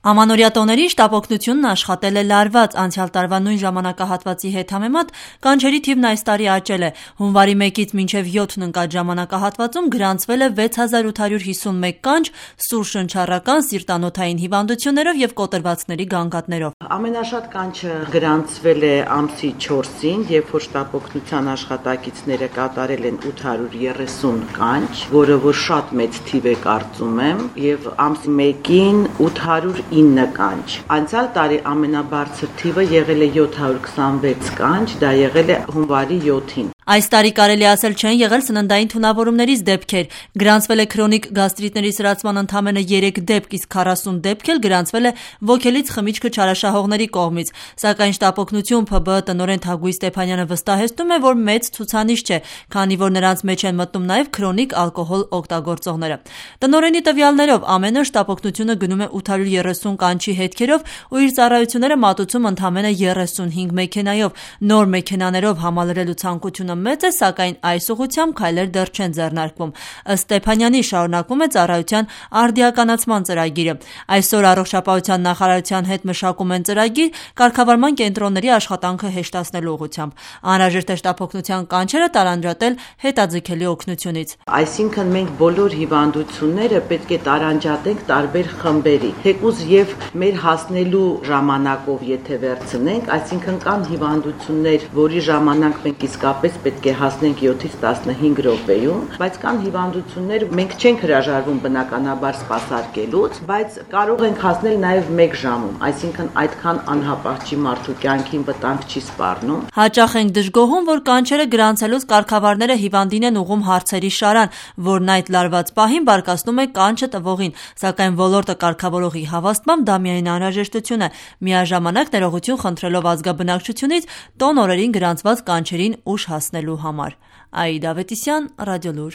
Ամանորյա տոներին շտապօգնությունն աշխատել է լարված, անցյալ տարվա նույն ժամանակահատվածի հետ համեմատ կանչերի թիվն այս տարի աճել է: Հունվարի 1-ից մինչև 7-ն ընկած ժամանակահատվածում գրանցվել է 6851 կանչ սուր շնչառական, սիրտանոթային հիվանդություններով և կոտրվածքների գանգատներով: Ամենաշատ կանչը գրանցվել է ամսի 4-ին, երբ որ շտապօգնության աշխատակիցները կատարել են 830 կանչ, որը որ շատ մեծ թիվ է կարծում եմ, և ամսի 1-ին 809 կանչ: Անցյալ տարի ամենաբարձր թիվը եղել է 726 կանչ, դա եղել է հունվարի 7-ին: Այս տարի կարելի ասել չեն եղել սննդային թունավորումներից դեպքեր: Գրանցվել է քրոնիկ գաստրիտների սրացման ընդամենը 3 դեպք, իսկ 40 դեպք էլ գրանցվել է ոգելից խմիչքը չարաշահողների կողմից: Սակայն շտապօգնություն ՓԲԸ տնօրեն Թագուհի Ստեփանյանը վստահեցնում է, որ մեծ ցուցանիշ չէ, քանի որ նրանց մեջ են մտնում նաև քրոնիկ ալկոհոլ օգտագործողները: Տնօրենի տվյալներով ամեն օր շտապօգնությունը գնում է 830 կանչի հետքերով ու իր ծառայությունները մատուցում ընդամենը 35 մեքենայով: Նոր մեքենաներով համալրելու ցանկությունը մեծ է, սակայն այս ուղղությամբ քայլեր դեռ չեն ձեռնարկվում: Ըստ Ստեփանյանի, շարունակվում է ծառայության արդիականացման ծրագիրը: Այսօր Առողջապահության նախարարության հետ մշակում են ծրագիր կարգավարման կենտրոնների աշխատանքը հեշտացնելու ուղղությամբ: Անհրաժեշտ է շտապօգնության կանչերը տարանջատել հետաձգելի օգնությունից: Այսինքն մենք բոլոր հիվանդությունները պետք է տարանջատենք տարբեր խմբերի, թեկուզ և մեր հասնելու ժամանակով եթե վերցնենք, այսինքն կան հիվանդություններ, որի ժամանակ մենք իսկապես պետք է հասնենք 7-ից 15 րոպեում, բայց կան հիվանդություններ, մենք չենք հրաժարվում բնականաբար սպասարկելուց, բայց կարող ենք հասնել նաև 1 ժամում, այսինքն այդքան անհապաղ չի մարդու կյանքին վտանգ չի սպառնում: Հաճախ ենք դժգոհում, որ կանչերը գրանցելուց կարգավարները հիվանդին են ուղղում հարցերի շարան, որն այդ լարված պահին բարկացնում է կանչը տվողին, սակայն ոլորտը կարգավորողի հավաստմամբ դա միայն անհրաժեշտություն է, միաժամանակ ներողություն խնդրելով ազգաբնակչությունից տոն օրերին գրանցված կանչերին ուշ հասնելու համար: Աիդա Ավետիսյան, Ռադիոլուր: